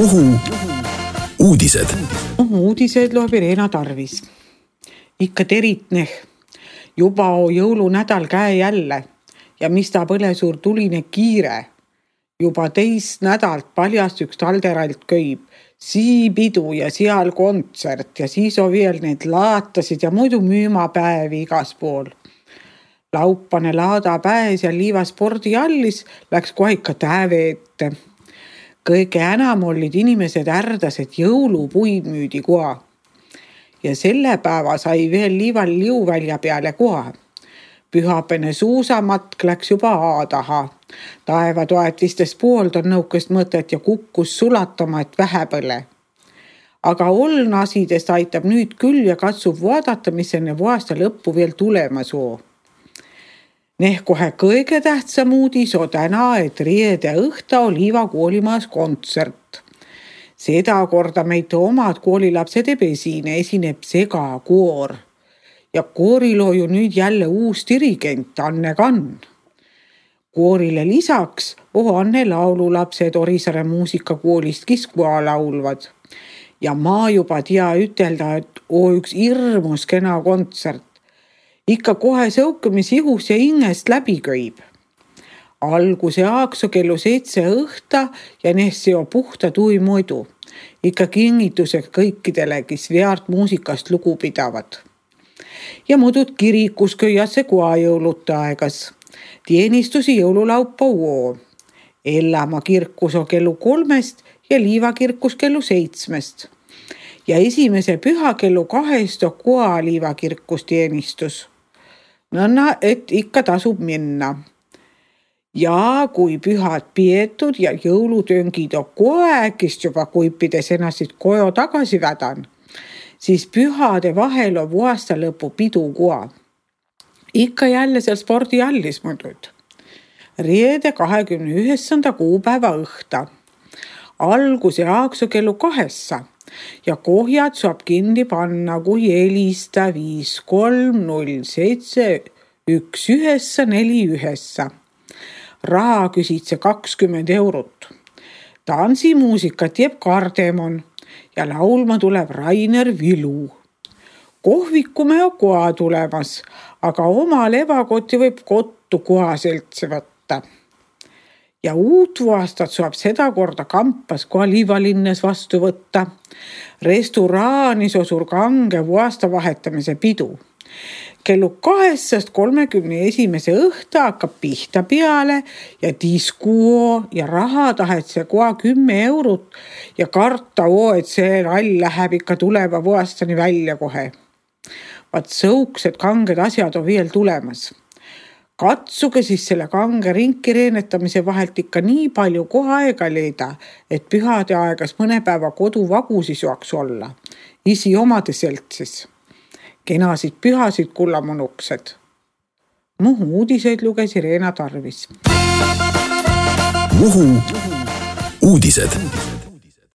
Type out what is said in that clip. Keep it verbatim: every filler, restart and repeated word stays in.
Muhu uudised. Muhu uudised loeb Irena Tarvis. Ikka teritneh. Juba on jõulunädal käe jälle ja mis ta põle suur tuline kiire. Juba teist nädalt paljast üks talderalt köib. Siipidu ja seal kontsert ja siis on veel need laatasid ja muidu müümapäevi igas pool. Laupane laada pääs ja liiva spordiallis läks kohe ikka täve ette. Kõige enam olid inimesed ärdased jõulupuid müüdi koha. Ja selle päeva sai veel liival liuvälja peale koha. Pühapene suusamatk läks juba aadaha. Taevatoetistes poolt on nõukest mõtet ja kukkus sulatama, et vähe põle. Aga olnasidest aitab nüüd küll ja katsub vaadata, mis enne aasta lõppu veel tulema soo. Neh kohe kõige tähtsam uudis on täna, et riede õhta on Liiva koolimaas kontsert. Seda korda meid omad koolilapsed esine esineb segakoor. Ja kooril on ju nüüd jälle uus dirigent Anne Kann. Koorile lisaks on Anne laululapsed Orisaare muusikakoolist Kiskua laulvad. Ja ma juba tea ütelda, et on üks hirmus kena kontsert. Ikka kohe sõukamis ihus ja ingest läbi köib. Alguse aakso kellu seitse õhta ja nehsi on puhta tui muidu. Ikka kingituseks kõikidele, kes veart muusikast lugu pidavad. Ja muudud kirikus köiasse koa jõuluta aegas. Tienistusi jõululaupa uo. Ellamaa kirkus on kellu kolmest ja Liiva kirkus kellu seitsmest. Ja esimese püha kellu kahest on koa Liiva kirkus tienistus. Nõnna, et ikka tasub minna. Ja kui pühad pietud ja jõulutöngid on koekist juba kuipides ennast kojo tagasi vädan, siis pühade vahel on aasta lõpu pidu koa. Ikka jälle seal spordiallis muidud. Riede kahekümne üheksanda kuupäeva õhta. Alguse aakso kellu kahessa. Ja kohjad saab kinni panna, kui helista viis kolm null seitse üks üheksa neli üheksa. Raha küsitse kakskümmend eurot. Tansimuusikat jääb Kardemon ja laulma tuleb Rainer Vilu. Kohvikume on koha tulemas, aga oma levakoti võib kottu koha seltsi võtta. Ja uut aastat saab seda korda kampas koha Liivalinnes vastu võtta. Restoraanis on suur kange aasta vahetamise pidu. Kellu kahesest kolmekümne esimese õhta hakkab pihta peale ja diskuo ja raha tahetse koha kümme eurot ja karta oo, et see rall läheb ikka tuleva aastani välja kohe. Vaat sõuksed kanged asjad on veel tulemas. Katsuge siis selle kange rinki reenetamise vahelt ikka nii palju koha aega leida, et pühade aegas mõne päeva kodu vagusi saaks olla. Isi omade seltsis. Kenasid pühasid kullamunuksed. Muhu uudiseid luges Irena Tarvis. Muhu uudised.